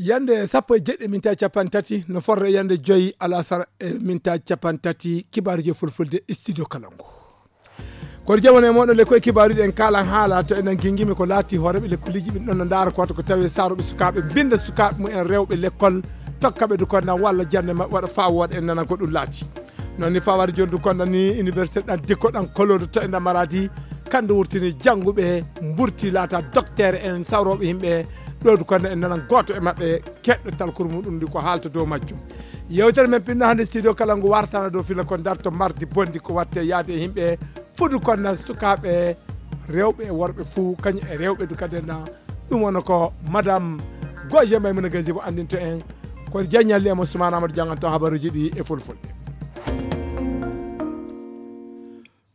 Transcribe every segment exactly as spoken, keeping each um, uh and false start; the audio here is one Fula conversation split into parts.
Yande sappo e jeɗɗi minta capanɗe tati no forre yande joyi alasara e minta capanɗe tati, kibaaruji e fulfulde studio kalangu. Kono jamano e moɗon le koye kibaaruji en kalan haala to enen gingimi ko laati hooreɓe lekkoliji ɓe ɗon no ndaara ko wata ko tawi saaroɓe sukaaɓe binda sukaaɓe mumen rewɓe lekkol, tokkaɓe du konna walla jande maɓɓe waɗa faa wooɗa en nana ko ɗum laati. Noon ni fawade joni du konna ni université ɗan dikko ɗan kolodo to e nder maradi, kandu wurtini jannguɓe mburti laata docteur en sawroɓe yimɓe. Ɗo du konna en nanan gooto e maɓɓe keɗɗo talkuru muɗum ndi ko haalta dow majjum. Yewtere men pinno hannde studio kala ngu wartana dow fila ko darto mardi bondi ko watte yaade e yimɓe fudu konna sukaaɓe rewɓe e worɓe fuu kañum e rewɓe du kadi en. Ɗum wona ko madame Goje Maymuna Gazibo anndinto en. Ko jaññalli e mo Sumaana Amadou jannganto habaruuji ɗi e fulfulde.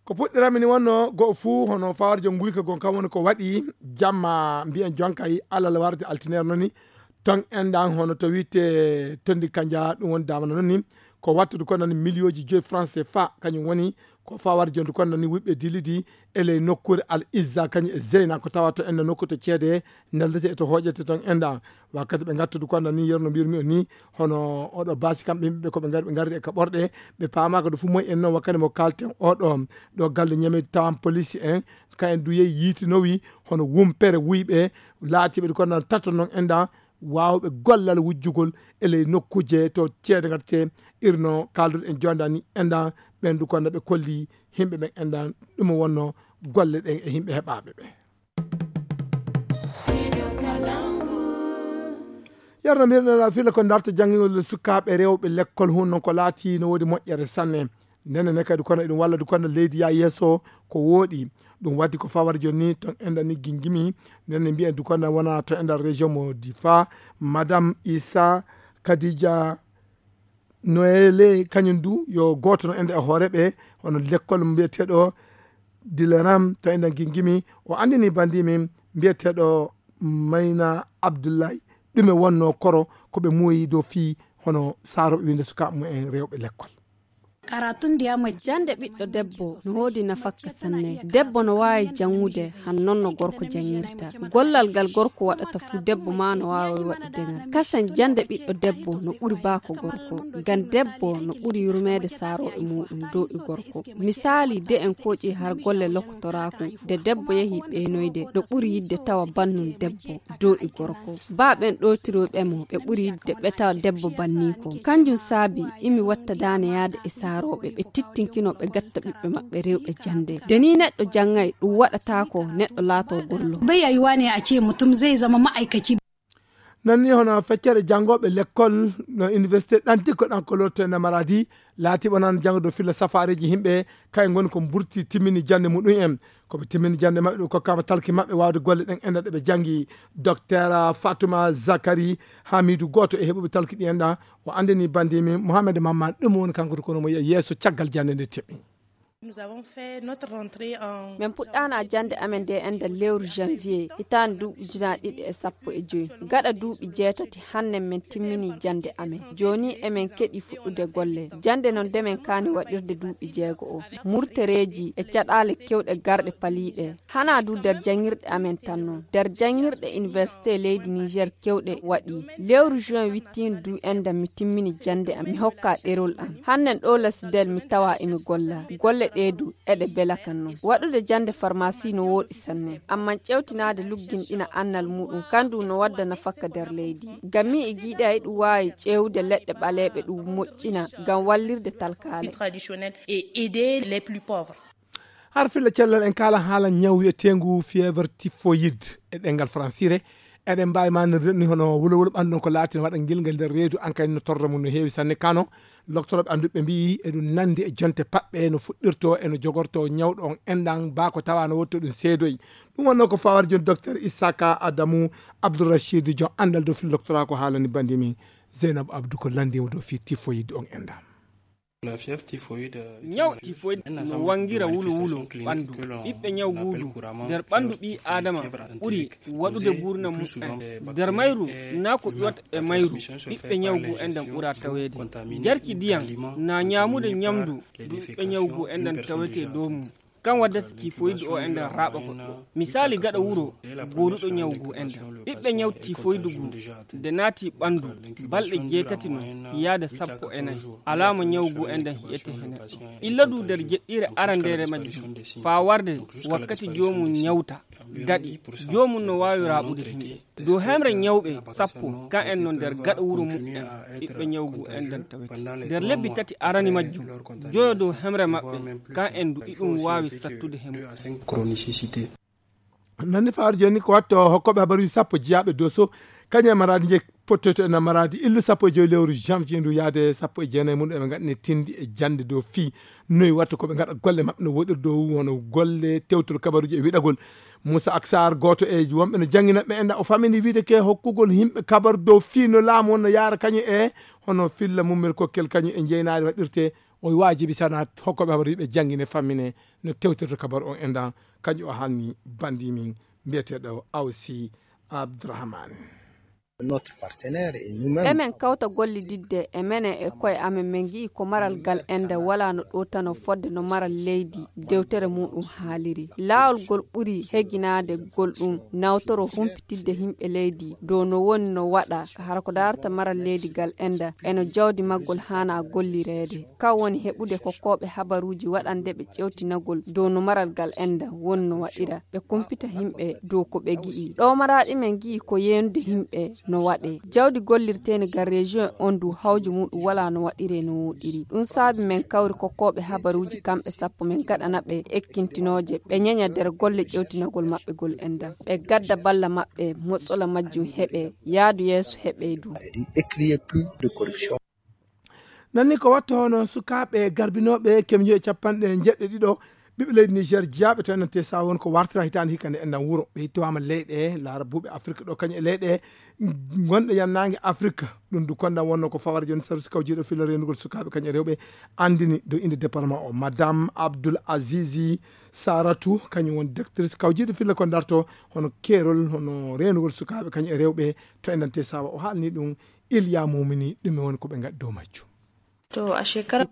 Ko puɗɗiranmi ni wonno go'o fuu hono fawarjo nguyka gon kam woni ko waɗi jamma mbiyen jonkay alal warde altineer noni. Ton enɗan hono to witte tondi kanja ɗum woni damana noni. Ko wattude ko nani miliyooji joyi franc C F A kañum woni ko fawar jonde ko nani wiɓɓe dilidi e ley nokkuure Al Izza kañum e Zeyna ko tawata enda nokku to ceede neldete e to hooƴete ton enda. Wakkati ɓe ngattude ko nani yerno mbirmi o ni hono oɗo basi kamɓe yimɓe ko ɓe ngari ɓe ngari e ka ɓorɗe ɓe paamaka ɗo fu moy en noon wakkati mo kalten oɗo ɗo galle ñamedi tawan police en ka en du yehi yiitinowi hono wumpere wuyɓe laatiɓe ɗo ko nan tato noon enda waawɓe gollal wujjugol e ley nokkuuje to ceede ngatete irno kaalduɗo en jonda ni endan ɓen du konno ɓe kolli yimɓe ɓen endan ɗum wonno golle ɗen e yimɓe heɓaaɓe ɓe. Yarno mbiɗen fila ko darto janngingol sukaaɓe rewɓe lekkol hun non ko laati no woodi moƴƴere sanne. Nene ne kadi kono eɗum walla du kono leydi ya yeeso ko wooɗi. Ɗum waddi ko fawar joni ton enda ni gingimi nene mbiyen du kono wona to enda région mo difa madame isa kadija noele kañum du yo gooto no enda e hooreɓe hono lekkol mbiyeteɗo dileram to enda gingimi o andini bandimi mbiyeteɗo mayna abdullahi ɗume wonno koro ko ɓe muuyi dow fii hono saaroɓe winde sukaaɓe mumen rewɓe lekkol. Karatun diya mace. Jannde ɓiɗɗo debbo no woodi nafakka sanne. Debbo no waawi janngude han non no gorko janngirta. Gollal ngal gorko waɗata fuu debbo maa no waawi waɗude ngal. Kasen jannde ɓiɗɗo debbo no ɓuri baako gorko. Ngam debbo no ɓuri yurmeede saarooɓe muuɗum dow e gorko. Misaali de en kooƴi har golle lokotoraaku de debbo yehi ɓeynoyde no ɓuri yidde tawa bannun debbo. Dow e gorko. Baa ɓen ɗootiroyɓe mo ɓe ɓuri yidde ɓe tawa debbo banniiko. Kanjum saabi imi watta daane yaade e saarooɓe ɓe tittinkino ɓe gatta ɓiɓɓe maɓɓe rewɓe jannde. De ni neɗɗo janngay ɗum waɗataako neɗɗo laato gollo. Bai yiwuwa ne a ce mutum zai zama ma'aikaci. Nan ni hono feccere janngooɓe lekkol no université ɗan dikko ɗan ko lorto e namaradi laatiiɓe nan janngo dow filla safaareeji yimɓe kay ngoni ko mburti timmini jannde muɗum en. Ko ɓe timmini jannde maɓɓe ɗum kokkaama talki maɓɓe waawde golle ɗen enɗan ɗe ɓe janngi. Docteur Fatuma Zakari Hamidu gooto e heɓuɓe talki ɗi enɗan o anndini bandimi Mohamed Mamman ɗum woni kanko kono mo yeeso caggal jannde nde teɓi. Nous avons fait notre rentrée en. Min puɗɗaana jannde amen nde enɗan lewru janvier hitaande duuɓi ujunaaji ɗiɗi e sappo e joy. Gaɗa duuɓi jeetati hannden min timmini jannde amen. Jooni emin keɗi fuɗɗude golle. Jannde non nde min kaani waɗirde duuɓi jeego o. Murtereeji e caɗaale kewɗe garɗe paliiɗe. Hanaa du nder janngirɗe amen tan non. Nder janngirɗe université leydi Niger kewɗe waɗi. Lewru juin wittiindu du enɗan mi timmini jannde am mi hokka ɗerol am. Hannden ɗo Lesdel mi tawa emi golla. Golle ɗe du eɗe bela kan non. Waɗude jannde farmasi no wooɗi sanne. Amman ƴewtinaade lugginɗina annal muuɗum kandu no wadda nafakka nder leydi. Ngam mi e giiɗe ay ɗum waawi ƴeewde leɗɗe ɓaleeɓe ɗum moƴƴina ngam wallirde talkaale. Traditionnel et aider les plus pauvres. Har filla cellal en kaala haala ñaw wiyeteengu fièvre typhoïde e ɗenngal fransire. Eɗen mbaawi maanirde ni hono wulowulo ɓandu ɗon ko laati no waɗa ngilngal nder reedu an kadi no torra mum no heewi sanne kano. Loktoroɓe annduɓe mbi'i eɗum nandi e jonte paɓɓe no fuɗɗirto e no jogorto ñawɗo on enɗan baa ko tawa no wotto ɗum seedoy. Ɗum wonno ko fawar joni docteur Issaka Adamu Abdourachid jon anndal dow fil doctorat ko haalani bandimi Zeynab Abdou ko lanndimo dow fii typhoïde on enɗan. Ñaw tifoyid no wanngira wulo wulo ɓanndu. Ɓiɓɓe ñaw guudu nder ɓanndu ɓii aadama ɓuri waɗude nguurndam muɓɓen. Nder mayru naa ko ƴuwata e mayru ɓiɓɓe ñaw guu enɗan ɓura taweede. Jarki ndiyam naa ñaamude ñamndu ndu ɓiɓɓe ñaw guu enɗan tawetee dow mum. Kan waddata tifoydu o enɗan raaɓa goɗɗo. Misaali gaɗa wuro gooduɗo ñawu guu enɗan. Ɓiɓɓe ñawu tifoydu guu nde naati ɓanndu balɗe jeetati non yaada sappo e nay. Alaama ñawu guu enɗan hi'etee he neɗɗo. Illa duu nder jeɗɗiire arandeere majjum faa warde wakkati joomum ñawta daɗi, joomum no waawi raaɓude himɓe. Dow hemre ñawɓe sappo, kan en no nder gaɗa wuro muɓɓen ɓiɓɓe ñawu guu enɗan tawete. Nder lebbi tati arani majjum, joyo dow hemre maɓɓe, kan en du iɗum waawi sattude he muɓɓen. Nanni fawaade jooni ko watto hokkooɓe habaruuji sappo jiyaaɓe Doso, kañum e Maraadi nje pottoyto en Maraadi illu sappo e joy lewru janvier ndu yaade sappo e jeenayi mum eɓe ngaɗani tindi e jannde dow fii noy watto ko ɓe ngaɗa golle maɓɓe no woɗiri dow hono golle tewtol kabaruuji e wiɗagol. Moussa Aksar gooto e wonɓe no janngina ɓe enɗan o famini wiide ke hokkugol yimɓe kabaru dow fii no laamu on no yaara kañum e hono filla mummel kokkel kañum e njeynaari waɗirte o waajibi sana hokkooɓe habaruuji ɓe janngine fammine no tewtirta kabaru on enɗan kañum o haalni banndi min mbiyeteeɗo Awsi Abdourahmane. Emen kawta gollididde e menen e koye amen, men ngi'i ko maral gal enda walaa no ɗowtanoo fodde no maral leydi dewtere muuɗum haaliri. Laawol gol ɓuri heginaade gol ɗum nawtoroo humpitidde yimɓe leydi dow no woni no waɗa hara ko daarata maral leydi gal enda e no jawdi maggol haanaa gollireede. Kan woni heɓude kokkooɓe habaruuji waɗande ɓe ƴeewtinagol dow no maral gal enda woni no waɗira. Ɓe kumpita himɓe dow ko ɓe gi'i. Ɗo maraaɗi men gi'i ko yeenude himɓe no waɗee. Jawdi gollirteeni gal rejiyon on du hawju muuɗum walaa no waɗiree no wooɗiri. Ɗum saabi men kawri kokkooɓe habaruuji kamɓe sappo men gaɗana ɓe ekkintinooje ɓe ñeña nder golle ƴeewtinagol maɓɓe gol enɗan. Ɓe gadda balla maɓɓe mosola majjum heɓee, yaadu yeeso heɓee du. Nanni ko watta hono sukaaɓe garbinooɓe kemjo e capanɗe njeɗɗe ɗiɗo ɓiɓɓe leydi Niger jiyaaɓe to enɗan tesa won ko wartira hitaande hikka nde enɗan wuro ɓe hittowaama leyɗe laarabuuɓe Afrik ɗo kañum e leyɗe gonɗe yannaange Afrik. Ɗum du konɗan wonno ko fawara jooni sarusi kawjiiɗo filla reenugol sukaaɓe kañum e rewɓe anndini dow innde département o madame Abdoul Azizi Saratu kañum woni directrice kawjiiɗo filla ko darto hono keerol hono reenugol sukaaɓe kañum e rewɓe to enɗan tesa o haalni ɗum Iliya Mumini ɗume woni ko ɓe ngaɗi dow majjum.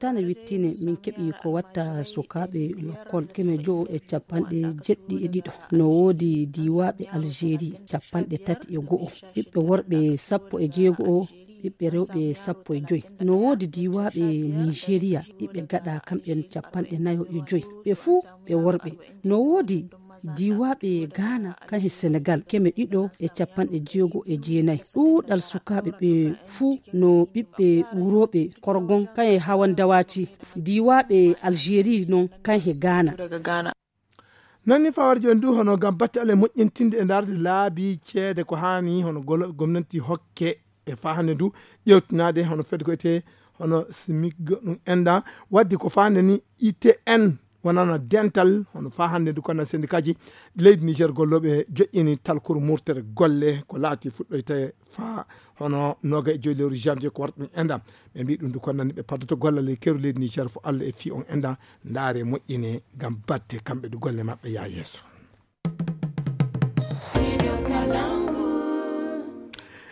Tana wittine min keɓi ko watta sukaaɓe lokkol keme jowo e capanɗe jeɗɗi e ɗiɗo. No woodi diiwaaɓe Algérie capanɗe tati e go'o, ɓiɓɓe worɓe sappo e jeego'o, ɓiɓɓe rewɓe sappo e joy. No woodi diiwaaɓe Nigeria ɓiɓɓe gaɗa kamɓen capanɗe nayo e joy, ɓe fuu ɓe worɓe. No woodi diiwaaɓe Gaana kan he Senegal keme ɗiɗo e capanɗe jeego e jeenayi. Ɗuuɗal sukaaɓe ɓe fuu no ɓiɓɓe wurooɓe Korgon kan he Hawan Dawati. Diiwaaɓe Algérie non kan he Gaana. Nanni fawar jooni du hono ngam batte ale moƴƴintinde e ndaarde laabi ceede ko haani hono golloɓe gomnanti hokke e faa hannde du ƴeewtinaade hono fedde ko etee hono smig ɗum enda waddi ko faa hannde ni I T N wonano dental hono faa hannde du kono syndikaji leydi Niger gollooɓe joƴƴini talkuru murtere golle ko laati fuɗɗoyte faa hono noga e joyi lewru janvier ko warta ɗum enda ɓe mbi ɗum du kono nanni ɓe paddoto gollal e keru leydi Niger fo Allah e fii on enda ndaare moƴƴine ngam batte kamɓe du golle maɓɓe yaa yeeso.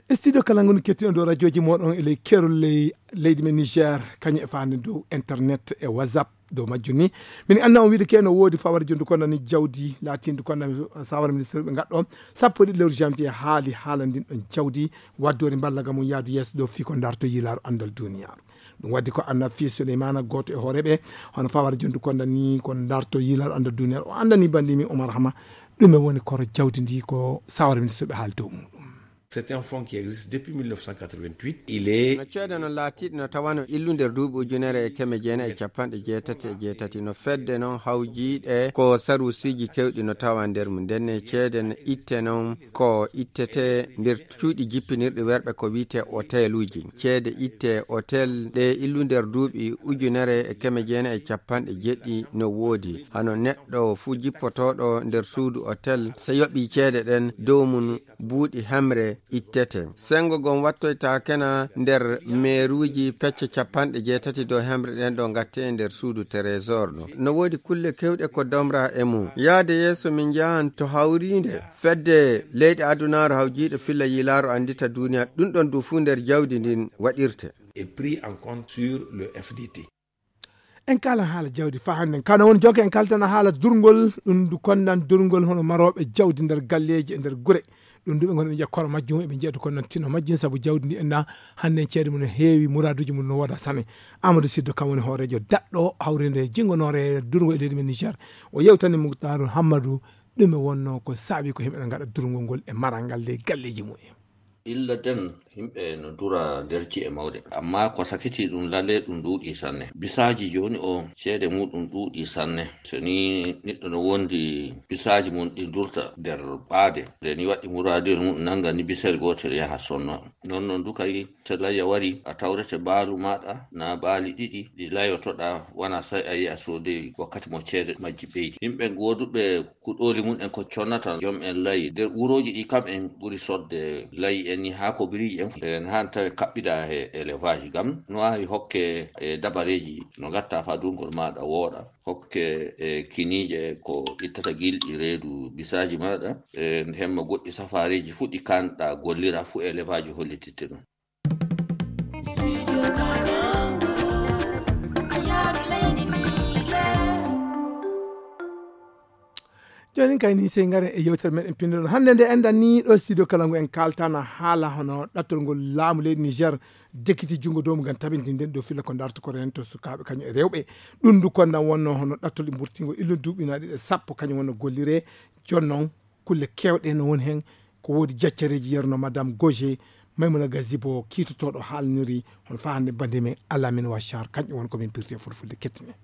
E studio kala ngon kettino ɗo radioji moɗon e ley kerol ley leydi men Niger kañum e fande dow internet e whatsapp dow majjum ni min anna on wiide ke no woodi fawara jondu kono ni jawdi laatindi kono sawara ministre ɓe gaɗɗo sappo e ɗiɗi lewru janvier haali haala ndin ɗon jawdi waddori mballa ga mum yaadu yeeso dow fii ko darto yiilaaru andal duniyaaru. Ɗum waddi ko anna fii suleymana gooto e hooreɓe hono fawara jondu kono ni ko darto yiilaaru andal duniyaaru o andani bandi mi omar hama ɗume woni koro jawdi ndi ko sawara ministre ɓe haali dow muɗum. C'est un fonds qui existe depuis mille neuf cent quatre-vingt-huit. Il est no ceede no laatiiɗe no tawano illu nder duuɓi ujunere e keme jeenayi e capanɗe jeetati e jeetati no fedde noon hawjiiɗe ko saruusiiji kewɗi no tawa nder mum ndenne ceede no itte noon ko ittete nder cuuɗi jippinirɗi werɓe ko wiyte hoteluuji. Ceede itte hotel ɗe illu nder duuɓi ujunere e keme jeenayi e capanɗe jeɗɗi no woodi hano neɗɗo fuu jippotooɗo nder suudu hotel so yoɓii ceede ɗen dow mum buuɗi hemre ittete. Senngo ngon wattoytaakena nder meeruuji pecce capanɗe jeetati dow hemre ɗen ɗo ngattee e nder suudu trésor ɗo. No woodi kulle kewɗe ko domraa e mum. Yahde yeeso min njahan to hawriinde fedde leyɗe adunaaru hawjiiɗo filla yiilaaru anndita duuniya ɗum ɗon du fuu nder jawdi ndin waɗirte. Est pris en compte sur le F D T. En kaalan haala jawdi faa hannden. Kano woni jonka en kaltana haala durngol, ɗum ndu konnan durngol hono marooɓe jawdi nder galleeji e nder gure. Ɗum ndu ɓe ngoni ɓe njiya koro majjum, eɓe njiya du konnan tino majjum, sabu jawdi ndi enna hannden ceede mum no heewi, muraaduuji mum no wooda sane. Amadou Siddo kam woni hooreejo daɗɗo hawrinde jinngonoore durngol e leydi men Niger. O yewtani Muktaru Hammadu ɗume wonnoo ko saabi ko yimɓe no ngaɗa durngol ngol e maral ngal ley galleeji mum en. Illa den, yimɓe no dura nder ci'e mawɗe. Amma ko sakiti ɗum lalle ɗum ɗuuɗi sanne. Bisaaji jooni o ceede muɗum ɗuuɗi sanne. So ni neɗɗo no wondi bisaaji mum ɗi durta nder ɓaade. Nde ni waɗi muraadiyel mum nanga ni bisel gootel yaha sonno. Non non du kay so layya wari a tawrete baalu maɗa na baali ɗiɗi ɗi layotoɗa wana sai a yi'a soodey wakkati mo ceede majji ɓeydi. Yimɓe gooduɓe kuɗooli mum en ko connata joom en layi. Nder wurooji ɗi kam en ɓuri sodde layi en ni haa ko biriiji en. En haan tawi kaɓɓida he élevage gam no waawi hokke e dabareeji no ngatta faa durngol maaɗa wooɗa. Hokke e kiniije ko ittata gilɗi reedu bisaaji maaɗa. E hemma goɗɗi safaareeji fuu ɗi kaanɗa gollira fuu élevage hollititte ɗum. Jooni kay ni sey ngaren e yewtere meɗen pinndol. Hannde nde enɗan ni ɗo studio kala ngu en kaaltana haala hono ɗattol ngol laamu leydi Niger dekiti junngo dow mum ngam tabintinden ɗo filla ko darto koren to sukaaɓe kañum e rewɓe. Ɗum ndu konnan wonno hono ɗattol e mburtingo illu duuɓi na ɗiɗi e sappo kañum wonno gollire. Jooni noon kulle keewɗe no woni heen. Ko woodi jaccareeji yerno Madame Goje, Maymuna Gazibo kiitotooɗo haalniri hono faa hannde bannde men Alamin Wachar, kañum woni ko min pirti e fulfulde kettine.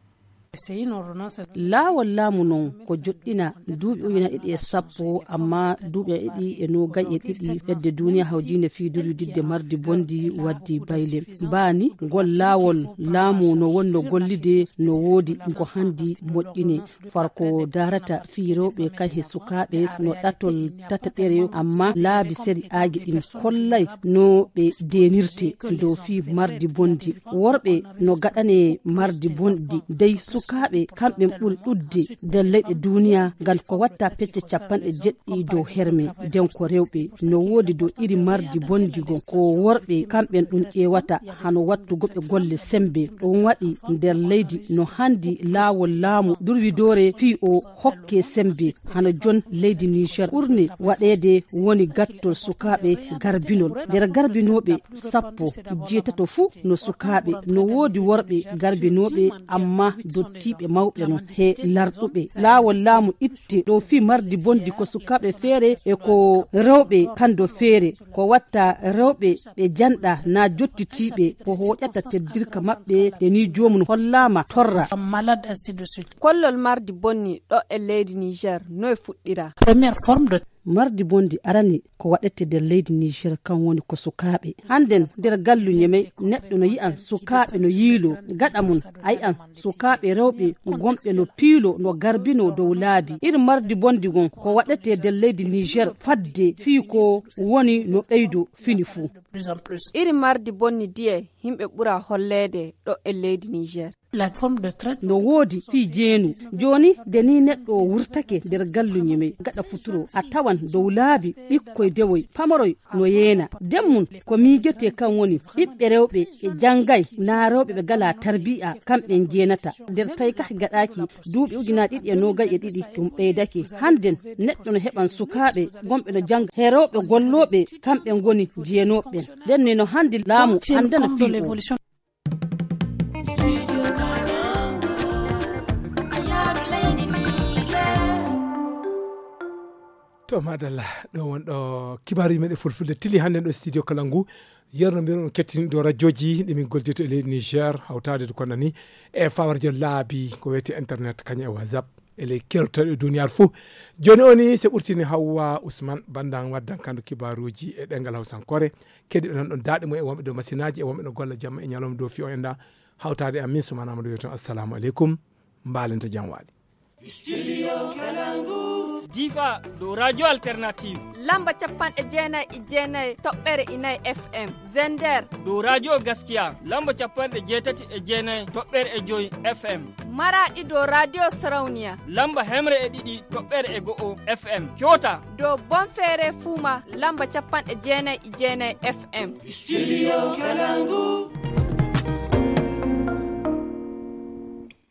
Laawol laamu noon ko joɗɗina duuɓi ujunaaji ɗiɗi e sappo, amma duuɓi e ɗiɗi e noogay e ɗiɗi fedde duniya hawjinde fii durwididde mardi bondi waddi bayle. Baani ngol laawol laamu no wonno gollide no woodi ko handi moƴƴine. Farko daarata fii rewɓe kan he sukaaɓe no ɗatol tataɓere, amma laabi sari'aaji ɗin kollay no ɓe deenirte dow fii mardi bondi. Worɓe no gaɗane mardi bondi, dey sukaaɓe kamɓe ɓuri ɗuɗde nder leyɗe duniya, ngam ko watta pecce capanɗe jeɗɗi dow herme. Den ko rewɓe no woodi dow iri mardi bondi gon, ko worɓe kamɓen ɗum ƴeewata hano wattugo ɓe golle sembe. Ɗum waɗi nder leydi no handi laawol laamu durwidoore fii o hokke sembe. Hano jon leydi Niger ɓurne waɗeede woni gattol sukaaɓe garbinol. Nder garbinooɓe sappo, jeetato fuu no sukaaɓe. No woodi worɓe garbinooɓe, amma dottiiɓe mawɓe no he larɗuɓe. Laawol laamu itte ɗo fii mardi bondi ko sukaaɓe feere e ko rewɓe kando feere. Ko watta rewɓe ɓe janɗa na jottitiiɓe ko hooƴata teddirka maɓɓe, de ni joomum hollaama torra. Kollol mardi bonni ɗo e leydi Niger, no e fuɗɗira? Première forme de mardi bondi arani ko waɗete nder leydi Niger kan woni ko sukaaɓe. Hannden nder gallu Ñemey neɗɗo no yi'an sukaaɓe no yiiloo gaɗa mum, a yi'an sukaaɓe rewɓe gonɓe no piiloo no garbinoo dow laabi. Iri mardi bondi gon ko waɗete nder leydi Niger fadde fii ko woni no ɓeydo fini fuu. Iri mardi bonni diye yimɓe ɓura holleede ɗo e leydi Niger. No woodi fii jeenu. Jooni, de ni neɗɗo o wurtake nder gallu Ñemey gaɗa futuro, a tawan dow laabi ɓikkoy dewoy pamoroy no yeena. Den mum ko miijete kan woni ɓiɓɓe rewɓe ɓe janngay, naa rewɓe ɓe galaa tarbiya, kamɓen jeenata. Nder tawi kah gaɗaaki duuɓi ujunaaji ɗiɗi e noogay e ɗiɗi, ɗum ɓeydake. Hannden neɗɗo no heɓan sukaaɓe gonɓe no jannga, he rewɓe gollooɓe, kamɓe ngoni jeenooɓe ɓen. Nden ni no handi laamu anndana fii o. To madalla, ɗo won ɗo kibaaruji meɗen fulfulde tili hannden ɗo studio kala ngu. Yerno mbiro on kettini ɗo rajooji ɗi min goldito e leydi Niger, hawtaade to konna ni e fawarjo laabi ko wiyete internet kañum e WhatsApp e ley kertoɗe duniyaaru fuu. Jooni o ni se ɓurtini Hawwa Usman Bandan waddan kandu kibaaruji e ɗengal Hawsankoore. Kedi ɓe nan ɗon daaɗe mum e wonɓe dow masinaaji e wonɓe no golla jamma e ñalawma dow fiyo en da hawtaade e amin Suman Amadou wiyoton assalamu aleykum. Mbaalenta jam waali. Studio Kalangu. Difa dow Radio Alternative. Lamba capanɗe jeenayi e jeenayi toɓɓere inayi F M. Zender. Dow Radio Gaskiya. Lamba capanɗe jeetati e jeenayi toɓɓere e joyi F M. Maraɗi dow Radio Sarauniya. Lamba hemre e ɗiɗi toɓɓere e go'o F M. Kyota. Dow Bonfere Fuma. Lamba capanɗe jeenayi e jeenayi F M. Studio Kalangu.